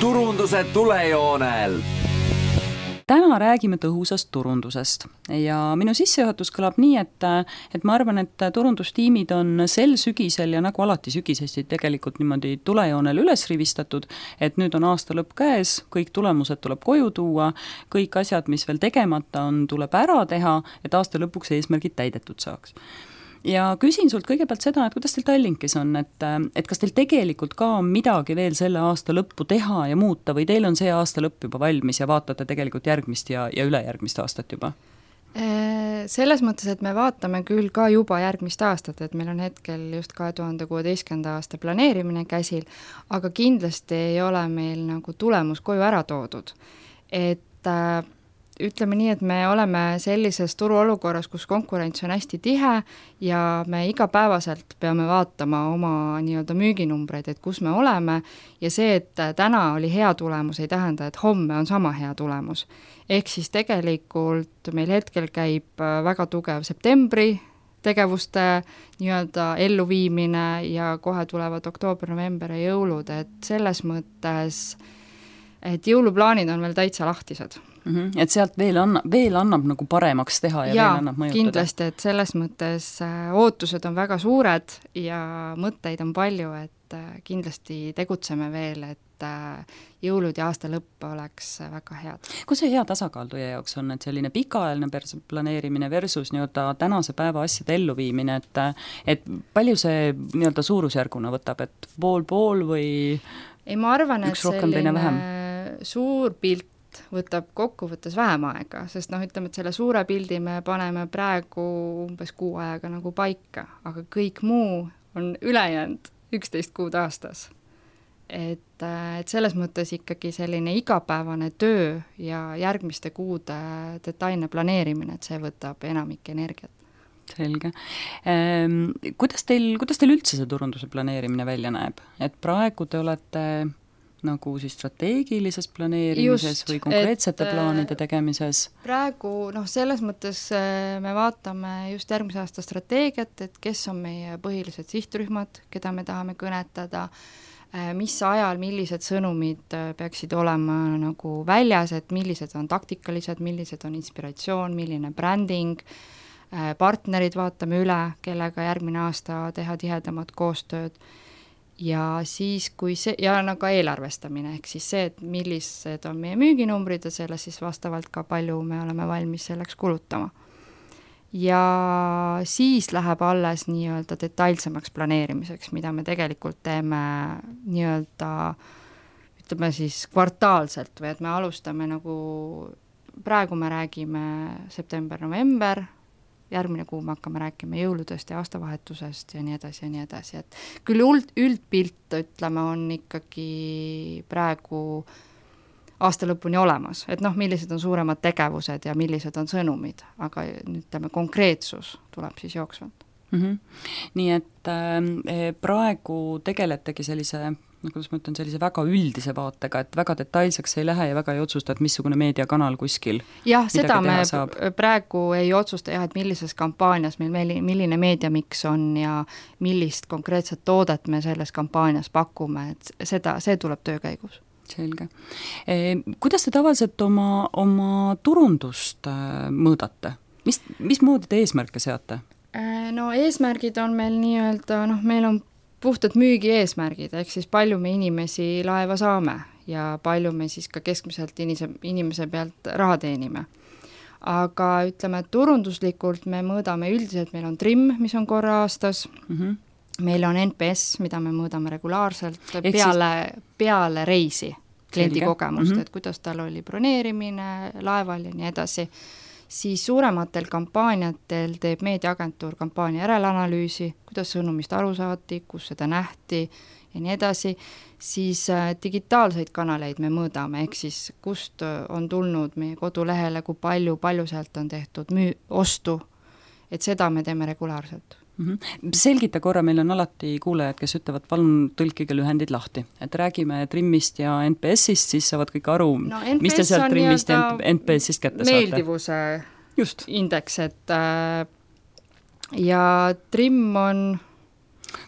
turunduse tulejoonel. Täna räägime tõhusast turundusest ja minu sissejuhatus kõlab nii, et ma arvan, et turundustiimid on sel sügisel ja nagu alati sügisesti tegelikult niimoodi tulejoonel üles rivistatud, et nüüd on aasta lõpp käes, kõik tulemused tuleb koju tuua, kõik asjad, mis veel tegemata on, tuleb ära teha, et aasta lõpuks eesmärgid täidetud saaks. Ja küsin sult kõigepealt seda, et kuidas teil Tallinkis on, et kas teil tegelikult ka on midagi veel selle aasta lõppu teha ja muuta või teil on see aasta lõpp juba valmis ja vaatate tegelikult järgmist ja ülejärgmist aastat juba? Selles mõttes, et me vaatame küll ka juba järgmist aastat, et meil on hetkel just 2016. aasta planeerimine käsil, aga kindlasti ei ole meil nagu tulemus koju ära toodud. Et ütleme nii, et me oleme sellises turuolukorras, kus konkurents on hästi tihe ja me igapäevaselt peame vaatama oma nii-öelda müüginumbreid, et kus me oleme ja see, et täna oli hea tulemus, ei tähenda, et homme on sama hea tulemus. Ehk siis tegelikult meil hetkel käib väga tugev septembri tegevuste nii-öelda elluviimine ja kohe tulevad oktoober, november ja jõulud, et selles mõttes, et jõuluplaanid on veel täitsa lahtised. Et sealt veel annab nagu paremaks teha ja veel annab mõjutada. Kindlasti, et selles mõttes ootused on väga suured ja mõtteid on palju, et kindlasti tegutseme veel, et jõulud ja aasta lõpp oleks väga head. Kus see hea tasakaal teie jaoks on, et selline pikaajaline planeerimine versus nii-öelda tänase päeva asjade elluviimine, et palju see nii-öelda suurusjärguna võtab, et pool või ei, ma arvan, üks rohkem, teine vähem? Suur pilt võtab kokkuvõttes vähem aega, sest ütleme, et selle suure pildi me paneme praegu umbes 6 ajaga nagu paika, aga kõik muu on ülejäänud 11 kuud aastas. Et selles mõttes ikkagi selline igapäevane töö ja järgmiste kuude detailne planeerimine, et see võtab enamik energiat. Selge. Kuidas teil üldse see turunduse planeerimine välja näeb? Et praegu te olete nagu siis strateegilises planeerimises või konkreetsete plaanide tegemises? Praegu, selles mõttes me vaatame just järgmise aasta strateegiat, et kes on meie põhilised sihtrühmad, keda me tahame kõnetada, mis ajal, millised sõnumid peaksid olema nagu väljas, et millised on taktikalised, millised on inspiratsioon, milline bränding, partnerid vaatame üle, kellega järgmine aasta teha tihedamat koostööd. Ja siis, kui see, ja nagu eelarvestamine, ehk siis see, et millised on meie müüginumbrid ja selle siis vastavalt ka palju me oleme valmis selleks kulutama. Ja siis läheb alles nii-öelda detailsemaks planeerimiseks, mida me tegelikult teeme nii-öelda, ütleme siis kvartaalselt või et me alustame nagu, praegu me räägime september-november, järgmine kuu me hakkame rääkima jõuludest ja aastavahetusest ja nii edasi, et küll üldpilt, ütleme, on ikkagi praegu aasta lõpuni olemas, et millised on suuremad tegevused ja millised on sõnumid, aga ütleme, konkreetsus tuleb siis jooksvalt. Nii et praegu tegeletegi sellise, kuidas ma ütlen, sellise väga üldise vaatega, et väga detailseks ei lähe ja väga ei otsusta, et missugune meediakanal kuskil jah, seda me praegu ei otsusta et millises kampaanias meil milline meediamiks on ja millist konkreetset toodet me selles kampaanias pakume, et see tuleb töö käigus. Selge. Kuidas te tavaliselt oma turundust mõõdate? Mismoodi te eesmärke seate? No eesmärgid on meil nii-öelda, meil on puhtad müügi eesmärgid, ehk siis palju me inimesi laeva saame ja palju me siis ka keskmiselt inimese pealt raha teenime. Aga ütleme, et turunduslikult me mõõdame üldiselt, meil on TRIM, mis on korra aastas, meil on NPS, mida me mõõdame regulaarselt peale reisi kliendi kogemust, et kuidas tal oli broneerimine laeval ja nii edasi. Siis suurematel kampaaniatel teeb meediaagentuur kampaania järelanalüüsi, kuidas sõnumist aru saati, kus seda nähti ja nii edasi, siis digitaalseid kanaleid me mõõdame, ehk siis kust on tulnud meie kodulehele, kui palju sealt on tehtud ostu, et seda me teeme regulaarselt. Selgita korra, meil on alati kuulajad, kes ütlevad, palun tõlkige lühendid lahti. Et räägime TRIM-ist ja NPS-ist, siis saavad kõik aru, mis te sealt TRIM-ist ja NPS-ist kätte saate. Meeldivuse indeks, et ja TRIM on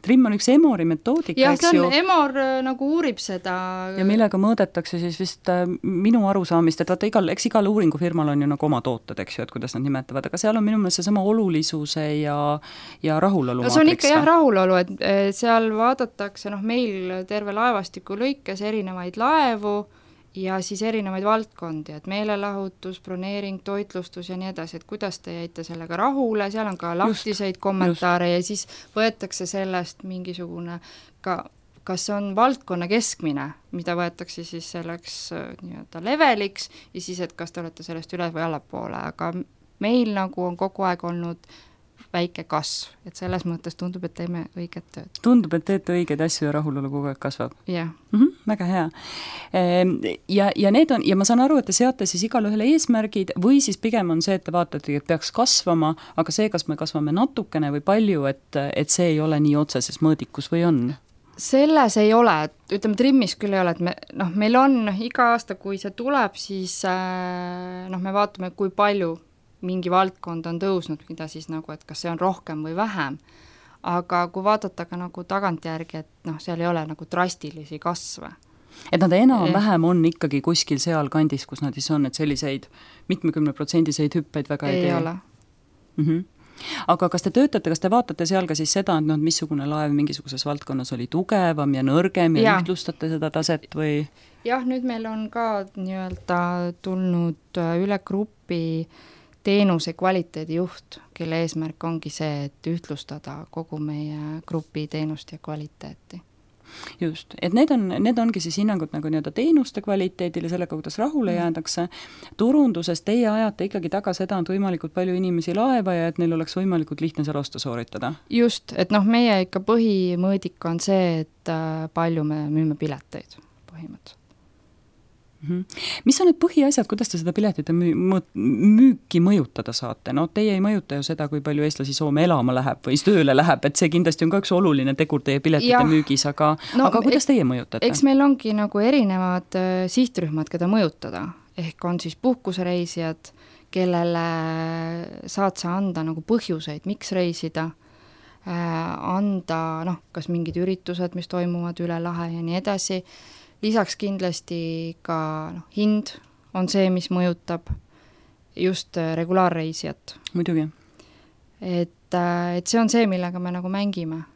trimm on üks Emori metoodika, jah, eks ju. Emor nagu uurib seda. Ja millega mõõdetakse siis vist minu arusaamist, et vaata eks igal uuringufirmal on ju nagu oma tooted, eks ju, et kuidas nad nimetavad, aga seal on minu meelest see sama olulisuse ja rahulolu no see on ikka jah rahulolu, et seal vaadatakse meil terve laevastiku lõikes erinevaid laevu ja siis erinevaid valdkondi, et meelelahutus, broneering, toitlustus ja nii edasi, et kuidas te jäite sellega rahule, seal on ka lahtiseid kommentaare ja siis võetakse sellest mingisugune kas on valdkonna keskmine, mida võetakse siis selleks nii-öelda leveliks ja siis, et kas te olete sellest üles või allapoole, aga meil nagu on kogu aeg olnud väike kasv, et selles mõttes tundub, et teeme õiget tööd. Tundub, et teete õigeid asju ja rahulolu kogu aeg kasvab. Jah. Väga hea. Ja need on, ja ma saan aru, et te seate siis igale ühele eesmärgid või siis pigem on see, et te vaatate, et peaks kasvama, aga see, kas me kasvame natukene või palju, et see ei ole nii otseses mõõdikus või on? Selles ei ole, et ütleme trimmis küll ei ole, et meil on iga aasta, kui see tuleb, siis me vaatame, kui palju mingi valdkond on tõusnud, mida siis nagu, et kas see on rohkem või vähem, aga kui vaadata ka nagu tagantjärgi, et seal ei ole nagu drastilisi kasve. Et nad enam-vähem on ikkagi kuskil seal kandis, kus nad siis on, et selliseid 70% hüppeid väga ei tee? Ei ole. Aga kas te vaatate seal ka siis seda, et missugune laev mingisuguses valdkonnas oli tugevam ja nõrgem ja ühtlustate seda taset või? Jah, nüüd meil on ka nii-öelda tulnud üle grupi teenuse kvaliteedijuht, kelle eesmärk ongi see, et ühtlustada kogu meie grupi teenust ja kvaliteeti. Just, et need ongi siis hinnangud nagu nii-öelda teenuste kvaliteedile, sellega, kuidas rahule jäädakse. Turunduses teie ajate ikkagi taga seda, et võimalikult palju inimesi laeva ja et neil oleks võimalikult lihtne seal ostu sooritada. Just, et meie ikka põhimõõdik on see, et palju me müüme pileteid põhimõtteliselt. Mis on need põhiasjad, kuidas te seda piletite müüki mõjutada saate? Teie ei mõjuta ju seda, kui palju eestlasi Soome elama läheb või tööle läheb, et see kindlasti on ka üks oluline tegur teie piletite müügis, aga kuidas teie mõjutate? Eks meil ongi nagu erinevad sihtrühmad, keda mõjutada, ehk on siis puhkusereisijad, kellele saad sa anda nagu põhjuseid, miks reisida, anda kas mingid üritused, mis toimuvad üle lahe ja nii edasi. Lisaks kindlasti ka hind on see, mis mõjutab just regulaarreisijat. Muidugi. Et see on see, millega me nagu mängime.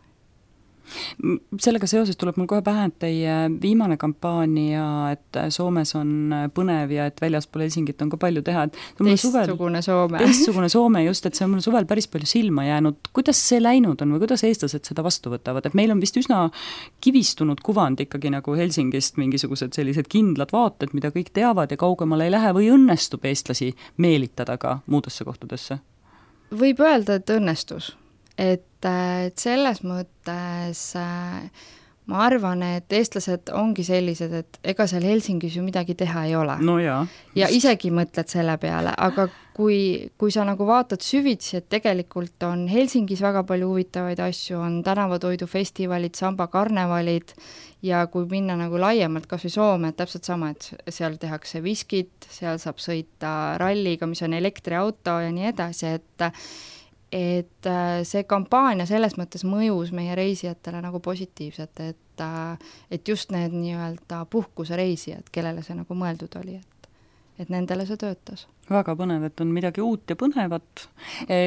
Sellega seoses tuleb mul kohe pähe, et teie viimane kampaania, et Soomes on põnev ja et väljaspool Helsingit on ka palju teha. Teistsugune Soome. Teistsugune Soome, just, et see on mul suvel päris palju silma jäänud. Kuidas see läinud on või kuidas eestlased seda vastu võtavad? Et meil on vist üsna kivistunud kuvand ikkagi nagu Helsingist mingisugused sellised kindlad vaated, mida kõik teavad ja kaugemale ei lähe või õnnestub eestlasi meelitada ka muudesse kohtadesse? Võib öelda, et õnnestus. Et selles mõttes ma arvan, et eestlased ongi sellised, et ega seal Helsingis ju midagi teha ei ole. No jaa. Ja isegi mõtled selle peale, aga kui sa nagu vaatad süvitsi, et tegelikult on Helsingis väga palju huvitavaid asju, on tänavatoidufestivalid, sambakarnevalid ja kui minna nagu laiemalt kas või Soome, täpselt sama, et seal tehakse viskit, seal saab sõita ralliga, mis on elektriauto ja nii edasi, et see kampaania selles mõttes mõjus meie reisijatele nagu positiivselt, et just need nii-öelda puhkusereisijad, kellele see nagu mõeldud oli, et nendele see töötas. Väga põnev, et on midagi uut ja põnevat.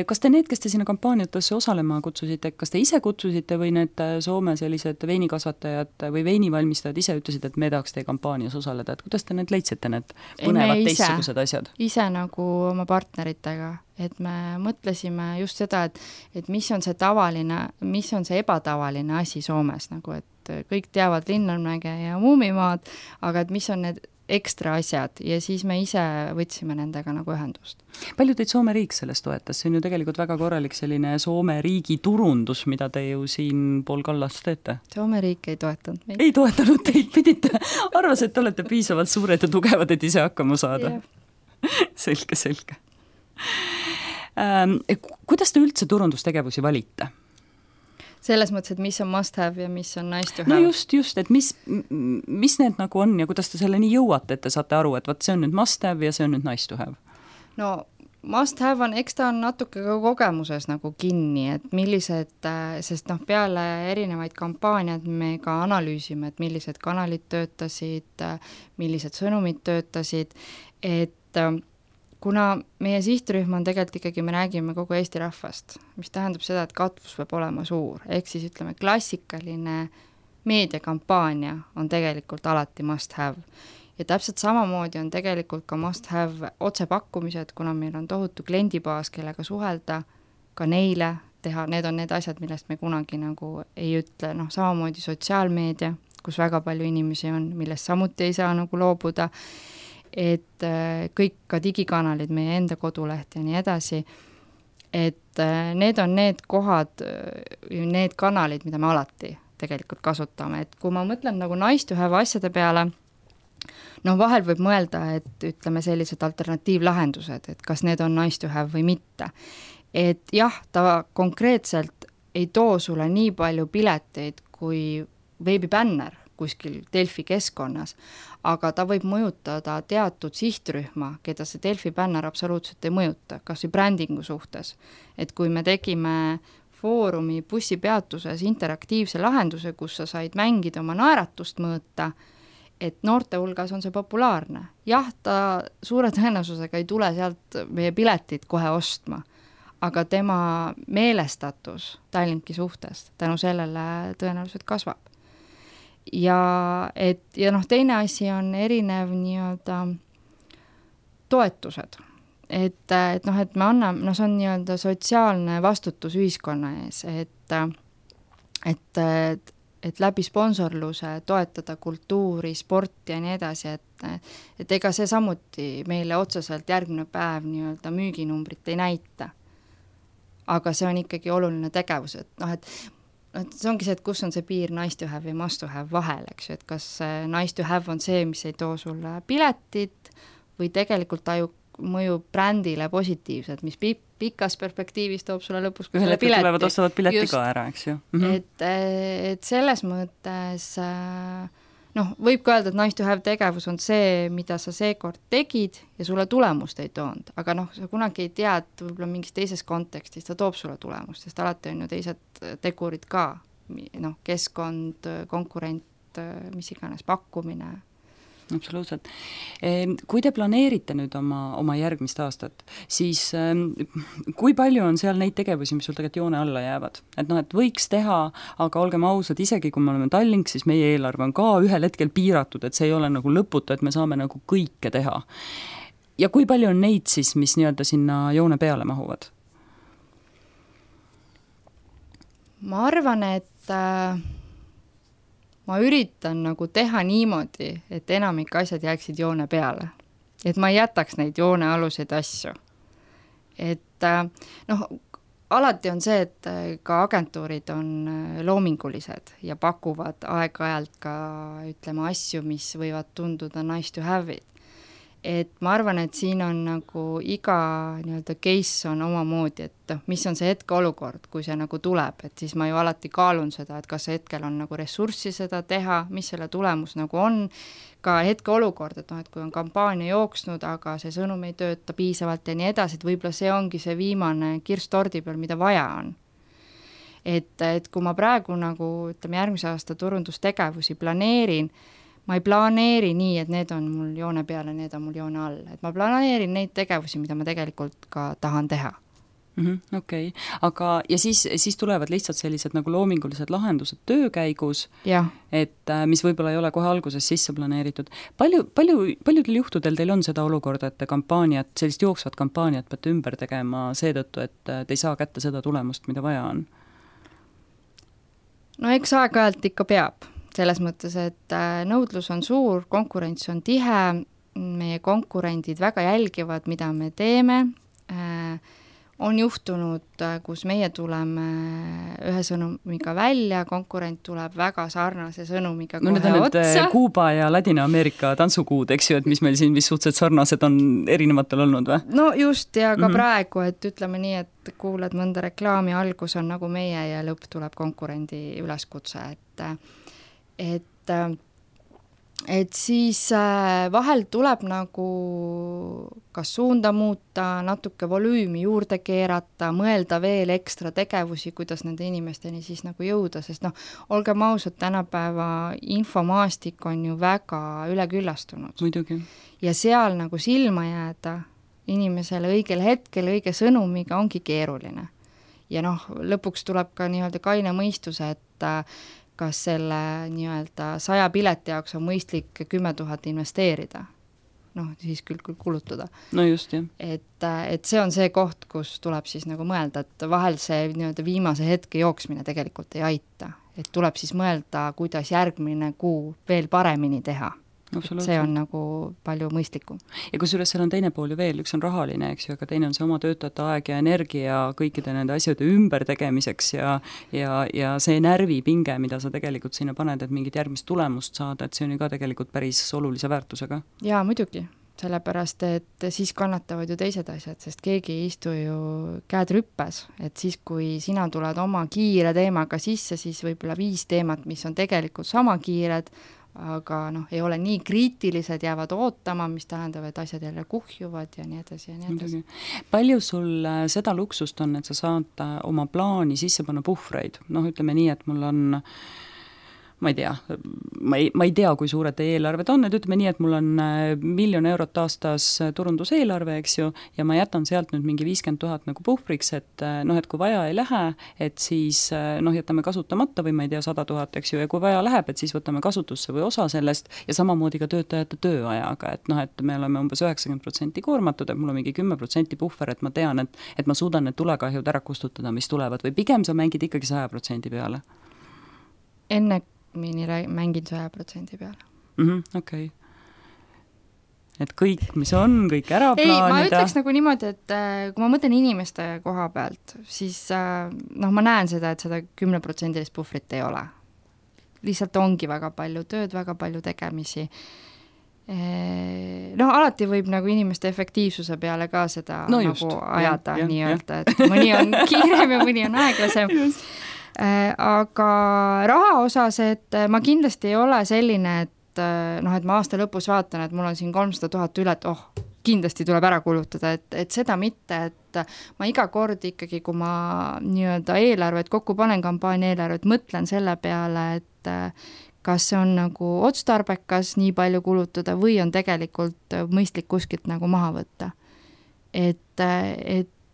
Kas te need, kes te sinna kampaaniatesse osalema kutsusite, kas te ise kutsusite või need Soome sellised veinikasvatajad või veinivalmistajad ise ütlesid, et me tahaks teie kampaanias osaleda, et kuidas te need leidsite, need põnevad teistsugused asjad? Ise nagu oma partneritega, et me mõtlesime just seda, et mis on see tavaline, mis on see ebatavaline asi Soomes, nagu et kõik teavad Linnanmäge ja Muumimaad, aga et mis on need ekstra asjad ja siis me ise võtsime nendega nagu ühendust. Palju teid Soome riik sellest toetas? See on ju tegelikult väga korralik selline Soome riigi turundus, mida te ju siin pool kallast teete. Soome riik ei toetanud meid. Ei toetanud teid, pidite. Arvas, et te olete piisavalt suured ja tugevad, et ise hakkama saada. Yeah. Selge. Kuidas te üldse turundustegevusi valite? Selles mõttes, et mis on must have ja mis on nice to have. No just, et mis need nagu on ja kuidas te selle nii jõuate, et te saate aru, et vaat see on nüüd must have ja see on nüüd nice to have? No must have on, eks ta on natuke ka kogemuses nagu kinni, et millised, sest peale erinevaid kampaaniad me ka analüüsime, et millised kanalid töötasid, millised sõnumid töötasid, et kuna meie sihtrühm on tegelikult ikkagi, me räägime kogu Eesti rahvast, mis tähendab seda, et katvus peab olema suur, ehk siis ütleme, klassikaline meediakampaania on tegelikult alati must have. Ja täpselt samamoodi on tegelikult ka must have otsepakkumised, kuna meil on tohutu kliendibaas, kellega suhelda, ka neile teha, need on need asjad, millest me kunagi nagu ei ütle, samamoodi sotsiaalmeedia, kus väga palju inimesi on, millest samuti ei saa nagu loobuda, et kõik ka digikanalid, meie enda koduleht ja nii edasi, et need on need kohad, need kanalid, mida me alati tegelikult kasutame, et kui ma mõtlen nagu nice to have asjade peale, vahel võib mõelda, et ütleme sellised alternatiivlahendused, et kas need on nice to have või mitte. Et jah, ta konkreetselt ei too sulle nii palju pileteid kui veebibänner kuskil Delfi keskkonnas, aga ta võib mõjutada teatud sihtrühma, keda see Delfi bänner absoluutselt ei mõjuta, kas või brändingu suhtes. Et kui me tegime Foorumi bussipeatuses interaktiivse lahenduse, kus sa said mängida oma naeratust mõõta, et noorte hulgas on see populaarne. Jah, ta suure tõenäosusega ei tule sealt meie piletit kohe ostma, aga tema meelestatus Tallinki suhtes tänu sellele tõenäoliselt kasvab. Ja teine asi on erinev nii-öelda toetused. Et me anname, see on nii-öelda sotsiaalne vastutus ühiskonna ees, et läbi sponsorluse toetada kultuuri, sporti ja nii edasi, et ega see samuti meile otseselt järgmine päev nii-öelda müüginumbrit ei näita. Aga see on ikkagi oluline tegevus, et see ongi see, et kus on see piir nice to have ja must to have vahel, eks ju, et kas nice to have on see, mis ei too sulle piletit või tegelikult mõjub brändile positiivselt, mis pikas perspektiivis toob sulle lõpus ühel hetkel tulevad ostavad pileti ka ära, eks ju. Et selles mõttes võib ka öelda, et nice to have tegevus on see, mida sa seekord tegid ja sulle tulemust ei toonud, aga sa kunagi ei tea, et võib-olla mingis teises kontekstis ta toob sulle tulemust, sest alati on ju teised tegurid ka, keskkond, konkurent, mis iganes pakkumine. Absoluutselt. Kui te planeerite nüüd oma järgmist aastat, siis kui palju on seal neid tegevusi, mis sul tegelikult joone alla jäävad? Et võiks teha, aga olgem ausad, isegi kui me oleme Tallink, siis meie eelarve on ka ühel hetkel piiratud, et see ei ole nagu lõputu, et me saame nagu kõike teha. Ja kui palju on neid siis, mis nii-öelda sinna joone peale mahuvad? Ma arvan, et ma üritan nagu teha niimoodi, et enamik asjad jääksid joone peale. Et ma ei jätaks neid joonealuseid asju. Et alati on see, et ka agentuurid on loomingulised ja pakuvad aeg-ajalt ka, ütleme, asju, mis võivad tunduda nice to have'id. Et ma arvan, et siin on nagu iga nii-öelda case on omamoodi, et mis on see hetkeolukord, kui see nagu tuleb, et siis ma ju alati kaalun seda, et kas hetkel on nagu ressurssi seda teha, mis selle tulemus nagu on, ka hetkeolukord, et kui on kampaania jooksnud, aga see sõnum ei tööta piisavalt ja nii edasi, et võib-olla see ongi see viimane kirss tordi peal, mida vaja on. Et kui ma praegu nagu, ütleme, järgmise aasta turundustegevusi planeerin, ma ei planeeri nii, et need on mul joone peale, need on mul joone all. Et ma planeerin neid tegevusi, mida ma tegelikult ka tahan teha. Okei. Aga ja siis tulevad lihtsalt sellised nagu loomingulised lahendused töö käigus, et mis võib-olla ei ole kohe alguses sisse planeeritud. Paljudel juhtudel teil on seda olukorda, et te kampaaniat, sellist jooksvat kampaaniat peate ümber tegema seetõttu, et te ei saa kätte seda tulemust, mida vaja on? No eks aeg-ajalt ikka peab. Selles mõttes, et nõudlus on suur, konkurents on tihe, meie konkurendid väga jälgivad, mida me teeme. On juhtunud, kus meie tuleme ühe sõnumiga välja, konkurent tuleb väga sarnase sõnumiga kohe otsa. Need on Kuuba ja Ladina-Ameerika tantsukuud, eks ju, et mis meil siin vist suhteliselt sarnased on erinevatel olnud või? No just, ja ka praegu, et ütleme nii, et kuulad mõnda reklaami, algus on nagu meie ja lõpp tuleb konkurendi üleskutse, et et siis vahel tuleb nagu kas suunda muuta, natuke volüümi juurde keerata, mõelda veel ekstra tegevusi, kuidas nende inimesteni siis nagu jõuda, sest olgem ausad, tänapäeva infomaastik on ju väga üleküllastunud. Muidugi. Ja seal nagu silma jääda inimesele õigel hetkel, õige sõnumiga ongi keeruline. Ja lõpuks tuleb ka nii-öelda kaine mõistuse, et kas selle nii-öelda 100 pileti jaoks on mõistlik 10 000 investeerida. Siis küll kulutada. No just, jah. Et see on see koht, kus tuleb siis nagu mõelda, et vahel see nii-öelda viimase hetke jooksmine tegelikult ei aita. Et tuleb siis mõelda, kuidas järgmine kuu veel paremini teha. See on nagu palju mõistlikum. Ja kusjuures seal on teine pool ju veel, üks on rahaline, eks ju, aga teine on see oma töötajate aeg ja energia kõikide nende asjade ümber tegemiseks ja see närvipinge, mida sa tegelikult sinna paned, et mingit järgmist tulemust saada, et see on ju ka tegelikult päris olulise väärtusega. Jaa, muidugi, sellepärast, et siis kannatavad ju teised asjad, sest keegi ei istu ju käed rüppes, et siis, kui sina tuled oma kiire teemaga sisse, siis võib-olla 5 teemat, mis on tegelikult sama kiired, aga ei ole nii kriitilised, jäävad ootama, mis tähendab, et asjad jälle kuhjuvad ja nii edasi ja nii edasi. Palju sul seda luksust on, et sa saad oma plaani sisse panna puhvreid? Ütleme nii, et mul on ma ei tea, kui suured teie eelarved on, et ütleme nii, et mul on 1 000 000 eurot aastas turunduseelarve, eks ju, ja ma jätan sealt nüüd mingi 50 000 nagu puhvriks, et et kui vaja ei lähe, et siis jätame kasutamata või ma ei tea, 100 000, eks ju, ja kui vaja läheb, et siis võtame kasutusse või osa sellest ja samamoodi ka töötajate tööajaga, et me oleme umbes 90% koormatud, et mul on mingi 10% puhver, et ma tean, et ma suudan need tulekahjud ära kustutada, mis tulevad, või pigem sa mängid ikkagi 100% peale? Enne mängin 100% peale. Okei. Et kõik, mis on, kõik ära plaanida. Ei, ma ütleks nagu niimoodi, et kui ma mõtlen inimeste koha pealt, siis ma näen seda, et seda 10% puhvrit ei ole. Lihtsalt ongi väga palju tööd, väga palju tegemisi. Alati võib nagu inimeste efektiivsuse peale ka seda ajada nii-öelda, et mõni on kiirem ja mõni on aeglasem. Aga raha osas, et ma kindlasti ei ole selline, et ma aasta lõpus vaatan, et mul on siin 300 000 üle, et kindlasti tuleb ära kulutada, et seda mitte, et ma iga kord ikkagi, kui ma nii-öelda eelarvet kokku panen, kampaania eelarvet, mõtlen selle peale, et kas see on nagu otstarbekas nii palju kulutada või on tegelikult mõistlik kuskilt nagu maha võtta.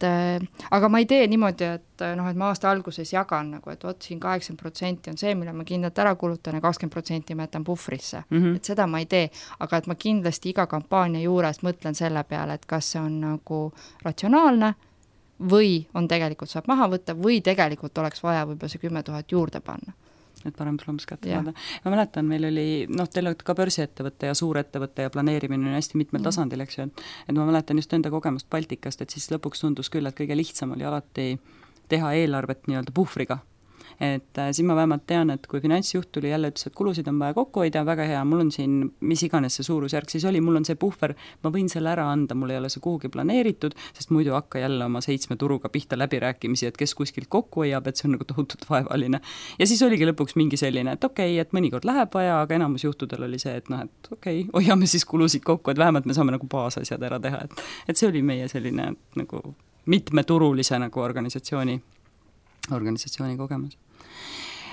Aga ma ei tee niimoodi, et ma aasta alguses jagan nagu, et siin 80% on see, mille ma kindlalt ära kulutan ja 20% ma jätan puhvrisse. Et seda ma ei tee, aga et ma kindlasti iga kampaania juures mõtlen selle peale, et kas see on nagu ratsionaalne või on tegelikult saab maha võtta või tegelikult oleks vaja võib-olla see 10 000 juurde panna. Et parem tulemus kätte saada. Ma mäletan, meil oli, teil olete ka börsiettevõtte ja suurettevõtte ja planeerimine on hästi mitmel tasandil, eks ju, et ma mäletan just enda kogemust Baltikast, et siis lõpuks tundus küll, et kõige lihtsam oli alati teha eelarvet nii-öelda puhvriga. Et siin ma vähemalt tean, et kui finantsjuht tuli jälle ütles, et kulusid on vaja kokku hoida, väga hea, mul on siin, mis iganes see suurusjärk siis oli, mul on see puhver, ma võin selle ära anda, mul ei ole see kuhugi planeeritud, sest muidu hakka jälle oma 7 turuga pihta läbirääkimisi, et kes kuskilt kokku hoiab, et see on nagu tohutult vaevaline. Ja siis oligi lõpuks mingi selline, et okei, et mõnikord läheb vaja, aga enamus juhtudel oli see, et et okei, hoiame siis kulusid kokku, et vähemalt me saame nagu baasasjad ära teha, et see oli meie selline nagu mitmeturulise nagu organisatsiooni kogemus.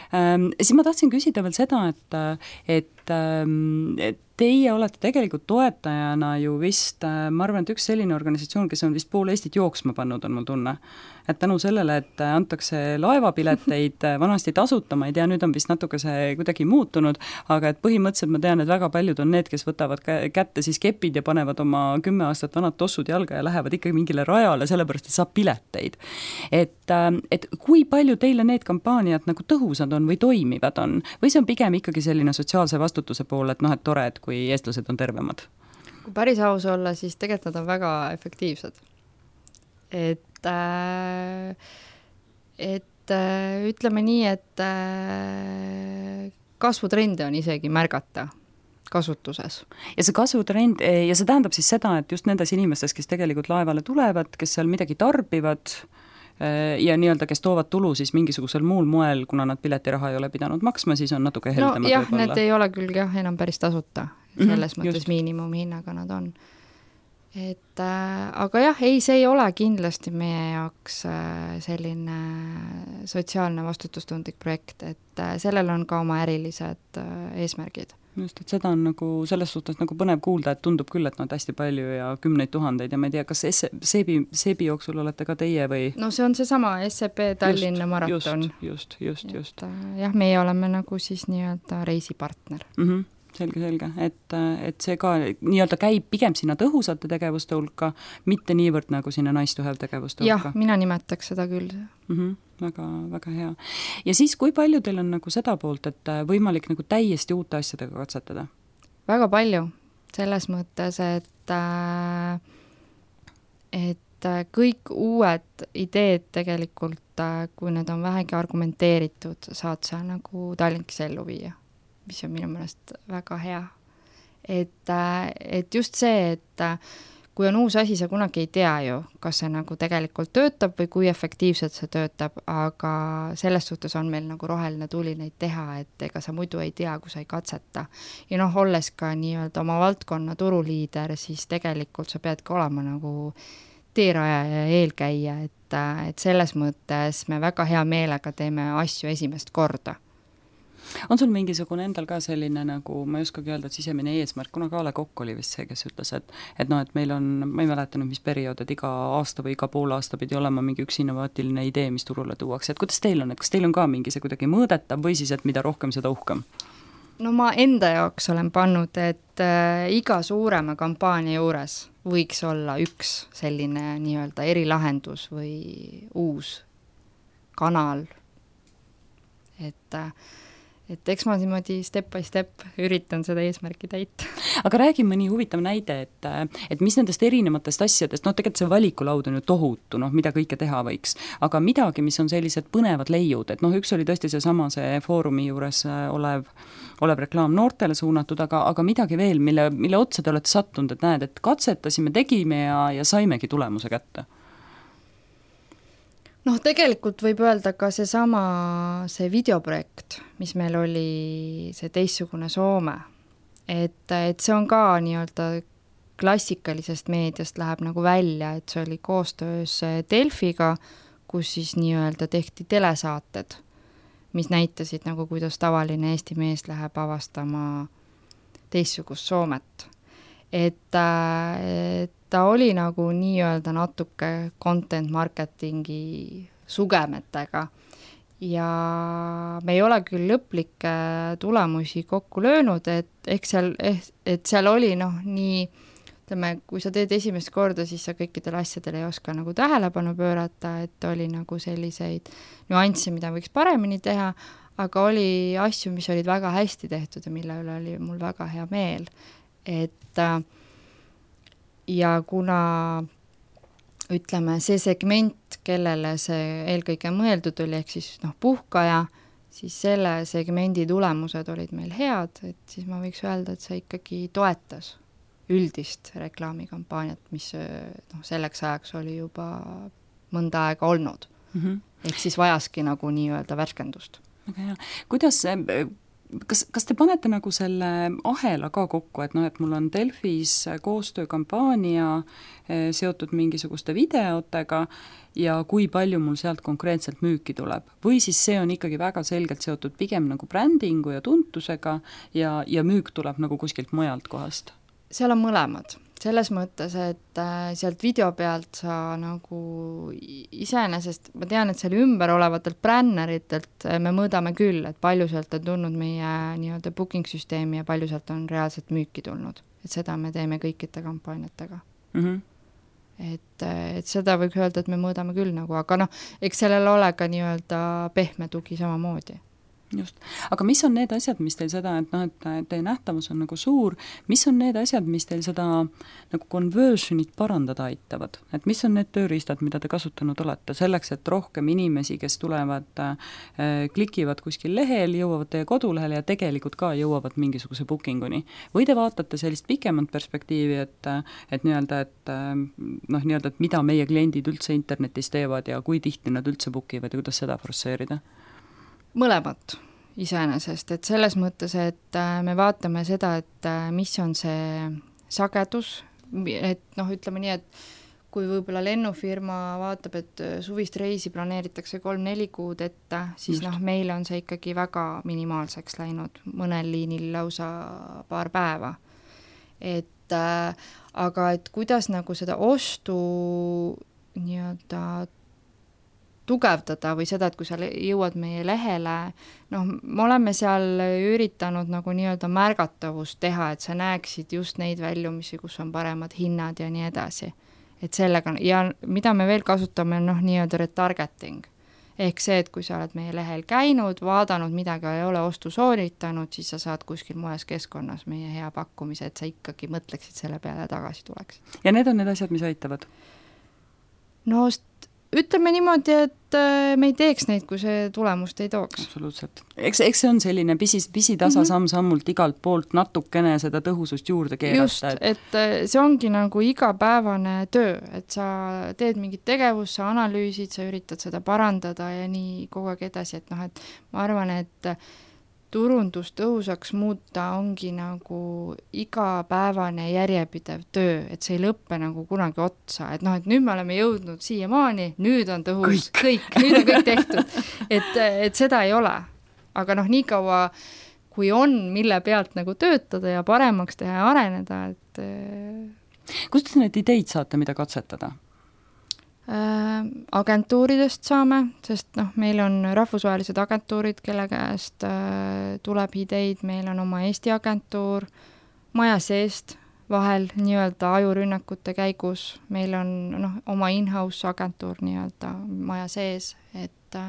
Siis ma tahtsin küsida veel seda, et teie olete tegelikult toetajana ju vist, ma arvan, et üks selline organisatsioon, kes on vist pool Eestit jooksma pannud, on mul tunne. Et tänu sellele, et antakse laevapileteid vanasti tasuta, ma ei tea, nüüd on vist natuke see kuidagi muutunud, aga et põhimõtteliselt ma tean, et väga paljud on need, kes võtavad kätte siis kepid ja panevad oma 10 aastat vanad tossud jalga ja lähevad ikkagi mingile rajale, sellepärast, et saab pileteid. Et kui palju teile need kampaaniad nagu tõhusad on või toimivad on? Või see on pigem ikkagi selline sotsiaalse vastutuse pool, et et tore, et kui eestlased on tervemad? Kui päris aus olla, siis tegelikult nad on väga efektiivsed. Et ütleme nii, et kasvutrende on isegi märgata kasutuses. Ja see kasvutrend, ja see tähendab siis seda, et just nendes inimestes, kes tegelikult laevale tulevad, kes seal midagi tarbivad, ja nii-öelda, kes toovad tulu siis mingisugusel muul moel, kuna nad piletiraha ei ole pidanud maksma, siis on natuke heldemad no jah, võib-olla. need ei ole küll enam päris tasuta, selles mõttes miinimumhinnaga nad on. Et aga jah, ei, see ei ole kindlasti meie jaoks selline sotsiaalne vastutustundlik projekt, et sellel on ka oma ärilised eesmärgid. Just, et seda on nagu selles suhtes nagu põnev kuulda, et tundub küll, et hästi palju ja 10,000 ja ma ei tea, kas seebi jooksul olete ka teie või? No see on seesama SEB Tallinna maraton. Just. Jah, meie oleme nagu siis nii-öelda reisipartner. Selge, et see ka nii-öelda käib pigem sinna tõhusate tegevuste hulka, mitte niivõrd nagu sinna nice to have tegevuste hulka. Jah, mina nimetaks seda küll. Väga hea. Ja siis, kui palju teil on nagu seda poolt, et võimalik nagu täiesti uute asjadega katsetada? Väga palju. Selles mõttes, et kõik uued ideed tegelikult, kui need on vähegi argumenteeritud, saad sa nagu Tallinkis ellu viia, mis on minu meelest väga hea. Et just see, et kui on uus asi, sa kunagi ei tea ju, kas see nagu tegelikult töötab või kui efektiivselt see töötab, aga selles suhtes on meil nagu roheline tuli neid teha, et ega sa muidu ei tea, kui sa ei katseta. Ja olles ka nii-öelda oma valdkonna turuliider, siis tegelikult sa peadki olema nagu teeraja ja eelkäija, et selles mõttes me väga hea meelega teeme asju esimest korda. On sul mingisugune endal ka selline nagu, ma ei oskagi öelda, et sisemine eesmärk, kuna Kaale Kokk oli vist see, kes ütles, et meil on, ma ei mäleta nüüd, mis periood, et iga aasta või iga pool aasta pidi olema mingi üks innovaatiline idee, mis turule tuuakse, et kuidas teil on, et kas teil on ka mingi see kuidagi mõõdetav või siis, et mida rohkem, seda uhkem? No ma enda jaoks olen pannud, et iga suurema kampaania juures võiks olla üks selline nii-öelda erilahendus või uus kanal, et eks ma niimoodi step by step üritan seda eesmärki täita. Aga räägi mõni huvitav näide, et mis nendest erinevatest asjadest, tegelikult see valikulaud on ju tohutu, mida kõike teha võiks, aga midagi, mis on sellised põnevad leiud, et üks oli tõesti see foorumi juures olev reklaam noortele suunatud, aga midagi veel, mille otsa te olete sattunud, et näed, et katsetasime, tegime ja saimegi tulemuse kätte? Tegelikult võib öelda ka see videoprojekt, mis meil oli, see teistsugune Soome, et see on ka nii-öelda klassikalisest meediast läheb nagu välja, et see oli koostöös Delfiga, kus siis nii-öelda tehti telesaated, mis näitasid nagu, kuidas tavaline Eesti mees läheb avastama teistsugust Soomet. Et ta oli nagu nii-öelda natuke content marketingi sugemetega ja me ei ole küll lõplikke tulemusi kokku löönud, et seal oli nii, ütleme, kui sa teed esimest korda, siis sa kõikidele asjadele ei oska nagu tähelepanu pöörata, et oli nagu selliseid nüansse, mida võiks paremini teha, aga oli asju, mis olid väga hästi tehtud ja mille üle oli mul väga hea meel. Ja kuna ütleme, see segment, kellele see eelkõige mõeldud oli, ehk siis puhkaja, siis selle segmendi tulemused olid meil head, et siis ma võiks öelda, et see ikkagi toetas üldist reklaamikampaaniat, mis selleks ajaks oli juba mõnda aega olnud. Ehk siis vajaski nagu nii-öelda värskendust. Väga hea. Kuidas kas te panete nagu selle ahela ka kokku, et et mul on Delfis koostöökampaania seotud mingisuguste videotega ja kui palju mul sealt konkreetselt müüki tuleb? Või siis see on ikkagi väga selgelt seotud pigem nagu brändingu ja tuntusega ja müük tuleb nagu kuskilt mujalt kohast? Seal on mõlemad. Selles mõttes, et sealt video pealt sa nagu iseenesest, ma tean, et seal ümber olevatelt bränneritelt me mõõdame küll, et palju sealt on tulnud meie nii-öelda booking-süsteemi ja palju sealt on reaalselt müüki tulnud. Et seda me teeme kõikide kampaaniatega. Et seda võiks öelda, et me mõõdame küll nagu, aga eks sellel ole ka nii-öelda pehme tugi samamoodi. Just. Aga mis on need asjad, mis teil seda, et noh, et teie nähtavus on nagu suur, mis on need asjad, mis teil seda nagu conversionit parandada aitavad? Et mis on need tööriistad, mida te kasutanud olete selleks, et rohkem inimesi, kes tulevad, klikivad kuskil lehel, jõuavad teie kodulehele ja tegelikult ka jõuavad mingisuguse bookinguni? Või te vaatate sellist pikemat perspektiivi, et nii-öelda, et mida meie kliendid üldse internetis teevad ja kui tihti nad üldse bookivad ja kuidas seda forsseerida? Mõlemat iseenesest, et selles mõttes, et me vaatame seda, et mis on see sagedus, et noh, ütleme nii, et kui võib-olla lennufirma vaatab, et suvist reisi planeeritakse 3-4 kuud ette, siis noh, meil on see ikkagi väga minimaalseks läinud, mõnel liinil lausa paar päeva. Et aga et kuidas nagu seda ostu nii-öelda tugevdada või seda, et kui sa jõuad meie lehele, noh, me oleme seal üritanud nagu nii-öelda märgatavust teha, et sa näeksid just neid väljumisi, kus on paremad hinnad ja nii edasi. Et sellega, ja mida me veel kasutame, noh, nii-öelda retargeting. Ehk see, et kui sa oled meie lehel käinud, vaadanud midagi, ei ole ostu sooritanud, siis sa saad kuskil moes keskkonnas meie hea pakkumise, et sa ikkagi mõtleksid selle peale ja tagasi tuleks. Ja need on need asjad, mis aitavad? No ütleme niimoodi, et me ei teeks neid, kui see tulemust ei tooks. Absoluutselt. Eks see on selline pisitasa samm-sammult igalt poolt natukene seda tõhusust juurde keerata. Just, et see ongi nagu igapäevane töö, et sa teed mingit tegevust, sa analüüsid, sa üritad seda parandada ja nii kogu aeg edasi, et noh, et ma arvan, et turundust tõhusaks muuta ongi nagu igapäevane järjepidev töö, et see ei lõppe nagu kunagi otsa, et noh, et nüüd me oleme jõudnud siiamaani, nüüd on tõhus kõik nüüd on kõik tehtud, et seda ei ole. Aga noh, nii kaua, kui on, mille pealt nagu töötada ja paremaks teha ja areneda, et kust te need ideid saate, mida katsetada? Agentuuridest saame, sest noh, meil on rahvusvahelised agentuurid, kelle käest tuleb ideid, meil on oma Eesti agentuur, maja seest vahel nii-öelda ajurünnakute käigus, meil on noh, oma in-house agentuur nii-öelda maja sees, et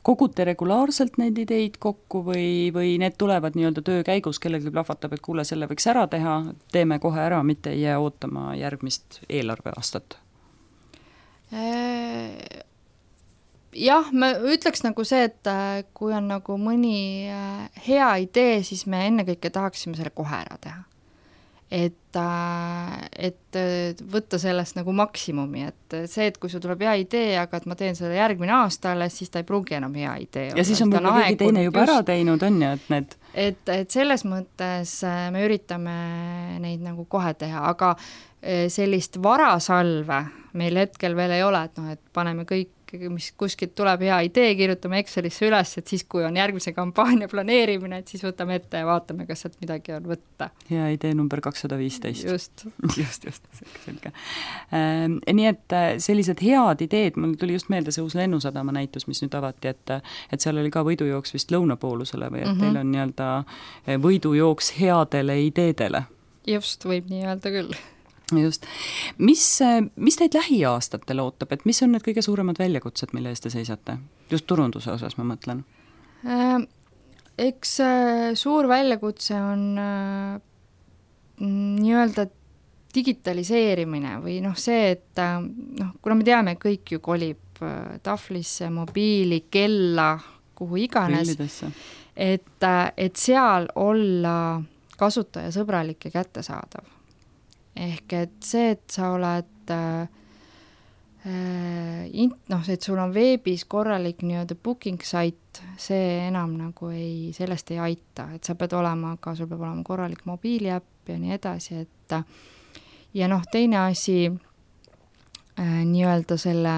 kogute regulaarselt neid ideid kokku või need tulevad nii-öelda töö käigus, kellelgi plahvatab, et kuule, selle võiks ära teha, teeme kohe ära, mitte ei jää ootama järgmist eelarveaastat? Jah, ma ütleks nagu see, et kui on nagu mõni hea idee, siis me ennekõike tahaksime selle kohe ära teha. Et võtta sellest nagu maksimumi, et see, et kui sul tuleb hea idee, aga et ma teen selle järgmine aasta alles, siis ta ei pruugi enam hea idee. Ja siis on võib-olla keegi teine juba ära teinud, on ju, et need... Et selles mõttes me üritame neid nagu kohe teha, aga sellist varasalve meil hetkel veel ei ole, et noh, et paneme kõik, mis kuskilt tuleb hea idee, kirjutame Excelisse üles, et siis, kui on järgmise kampaania planeerimine, et siis võtame ette ja vaatame, kas sealt midagi on võtta. Hea idee number 215. Just. Selge. Nii et sellised head ideed, mul tuli just meelde see uus Lennusadama näitus, mis nüüd avati, et seal oli ka võidujooks vist lõunapoolusele või et teil on nii-öelda võidujooks headele ideedele. Just, võib nii öelda küll. Just. Mis teid lähiaastatel ootab, et mis on need kõige suuremad väljakutsed, mille eest te seisate? Just turunduse osas ma mõtlen. Eks suur väljakutse on nii-öelda digitaliseerimine või noh see, et noh, kuna me teame, kõik ju kolib tahvlisse, mobiili, kella, kuhu iganes, et seal olla kasutajasõbralik ja kättesaadav. Ehk et see, et sa oled et sul on veebis korralik nii-öelda booking site, see enam nagu sellest ei aita, et sa pead olema, aga sul peab olema korralik mobiiliäpp ja nii edasi, et ja noh, teine asi nii-öelda selle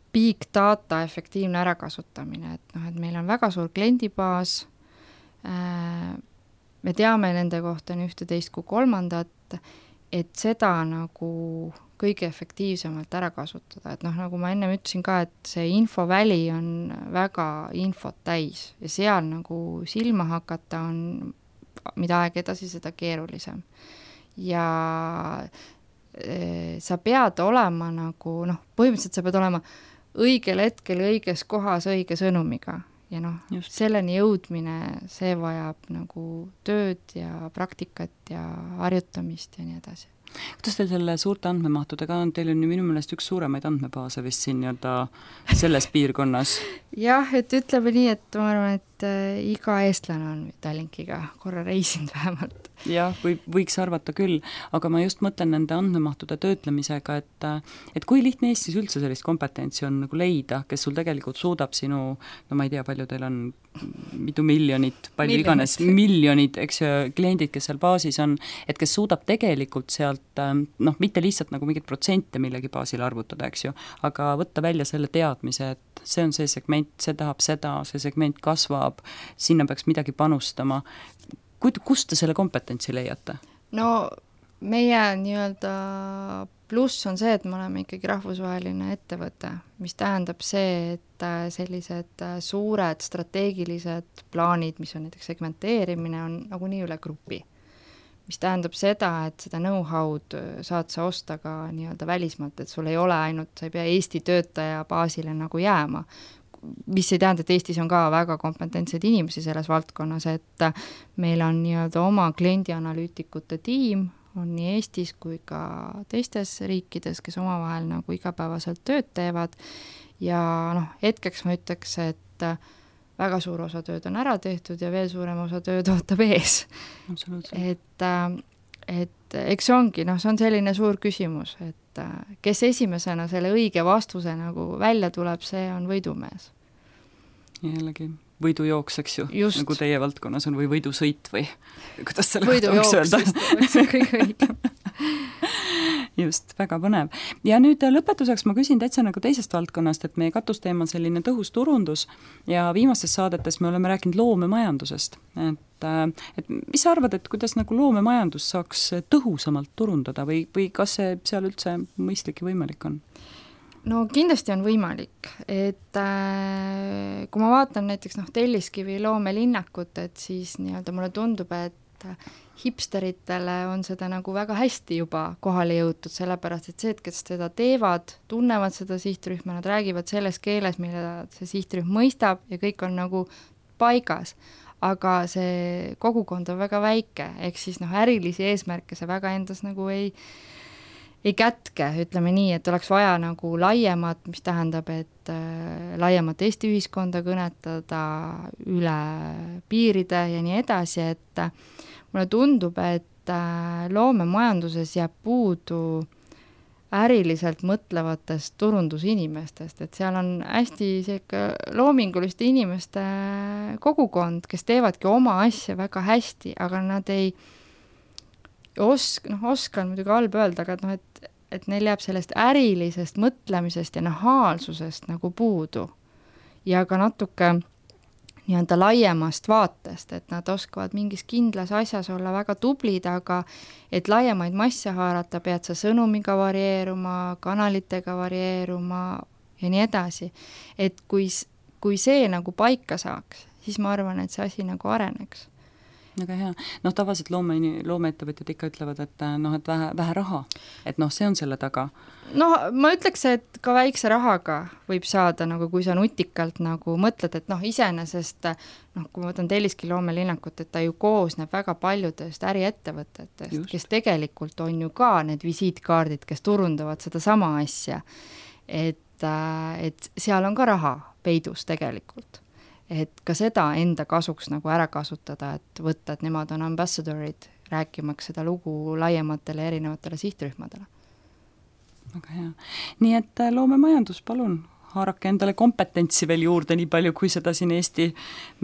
big data efektiivne ärakasutamine, et noh, et meil on väga suur kliendibaas, me teame nende kohta nii ühte, teist kui kolmandat, et seda nagu kõige efektiivsemalt ära kasutada, et noh, nagu ma enne ütlesin ka, et see infoväli on väga infot täis ja seal nagu silma hakata on, mida aeg edasi, seda keerulisem. Ja sa pead olema nagu, noh, põhimõtteliselt sa pead olema õigel hetkel õiges kohas õige sõnumiga ja noh, selleni jõudmine, see vajab nagu tööd ja praktikat ja harjutamist ja nii edasi. Kuidas teil selle suurte andmemahtudega on? Teil on ju minu meelest üks suuremaid andmebaase vist siin selles piirkonnas. Jah, et ütleme nii, et ma arvan, et iga eestlane on Tallinkiga korra reisinud vähemalt. Jah, võiks arvata küll, aga ma just mõtlen nende andmemahtude töötlemisega, et kui lihtne Eestis üldse sellist kompetentsi on nagu leida, kes sul tegelikult suudab sinu, no ma ei tea, palju teil on, mitu miljonit, palju iganes miljonid, eks ju, kliendid, kes seal baasis on, et kes suudab tegelikult sealt, noh, mitte lihtsalt nagu mingit protsente millegi baasil arvutada, eks ju, aga võtta välja selle teadmise, et see on see segment, see tahab seda, see segment kasvab, sinna peaks midagi panustama. Kust te selle kompetentsi leiate? No meie nii-öelda pluss on see, et me oleme ikkagi rahvusvaheline ettevõte, mis tähendab see, et sellised suured strateegilised plaanid, mis on näiteks segmenteerimine, on nagunii üle grupi. Mis tähendab seda, et seda know-how'd saad sa osta ka nii-öelda välismaalt, et sul ei ole ainult, sa ei pea Eesti töötaja baasile nagu jääma, mis ei tähenda, et Eestis on ka väga kompetentsed inimesi selles valdkonnas, et meil on nii-öelda oma kliendianalüütikute tiim, on nii Eestis kui ka teistes riikides, kes omavahel nagu igapäevaselt tööd teevad ja noh, hetkeks ma ütleks, et väga suur osa tööd on ära tehtud ja veel suurem osa tööd ootab ees. Et eks ongi, noh, see on selline suur küsimus, et kes esimesena selle õige vastuse nagu välja tuleb, see on võidumees. Jällegi võidujooks, eks ju, just. Nagu teie valdkonnas on või võidusõit või kuidas selle võiks öelda? Võidujooks, see on kõige õigem. Just, väga põnev. Ja nüüd lõpetuseks ma küsin täitsa nagu teisest valdkonnast, et meie katusteema on selline tõhus turundus ja viimastes saadetes me oleme rääkinud loomemajandusest. Et mis sa arvad, et kuidas nagu loomemajandus saaks tõhusamalt turundada või kas see seal üldse mõistlik ja võimalik on? No kindlasti on võimalik, et kui ma vaatan näiteks Telliskivi loomelinnakut, et siis nii-öelda mulle tundub, et hipsteritele on seda nagu väga hästi juba kohale jõutud, sellepärast et see, et kes seda teevad, tunnevad seda sihtrühma, nad räägivad selles keeles, mille see sihtrühm mõistab ja kõik on nagu paigas, aga see kogukond on väga väike, ehk siis ärilisi eesmärke see väga endas nagu ei kätke, ütleme nii, et oleks vaja nagu laiemat, mis tähendab, et laiemat Eesti ühiskonda kõnetada üle piiride ja nii edasi, et mulle tundub, et loomemajanduses jääb puudu äriliselt mõtlevatest turundusinimestest, et seal on hästi loominguliste inimeste kogukond, kes teevadki oma asja väga hästi, aga nad ei oskan muidugi halb öelda, aga et neil jääb sellest ärilisest mõtlemisest ja nahaalsusest nagu puudu. Ja ka natuke nii-öelda laiemast vaatest, et nad oskavad mingis kindlas asjas olla väga tublid, aga et laiemaid masse haarata, pead sa sõnumiga varieeruma, kanalitega varieeruma ja nii edasi. Et kui see nagu paika saaks, siis ma arvan, et see asi nagu areneks. Väga hea. Tavaliselt loomeettevõtjad ikka ütlevad, et vähe raha, et see on selle taga. Ma ütleks, et ka väikse rahaga võib saada, nagu kui sa nutikalt nagu mõtled, et iseenesest, kui ma võtan Telliski loomelinnakut, et ta ju koosneb väga paljudest äriettevõtetest, kes tegelikult on ju ka need visiitkaardid, kes turundavad seda sama asja. Et seal on ka raha peidus tegelikult. Et ka seda enda kasuks nagu ära kasutada, et võtta, et nemad on ambassadorid, rääkimaks seda lugu laiematele erinevatele sihtrühmadele. Väga hea. Nii et loomemajandus, palun, haarake endale kompetentsi veel juurde nii palju, kui seda siin Eesti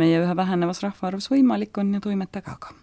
meie ühe vähenevas rahvaarvus võimalik on ja toimetage aga.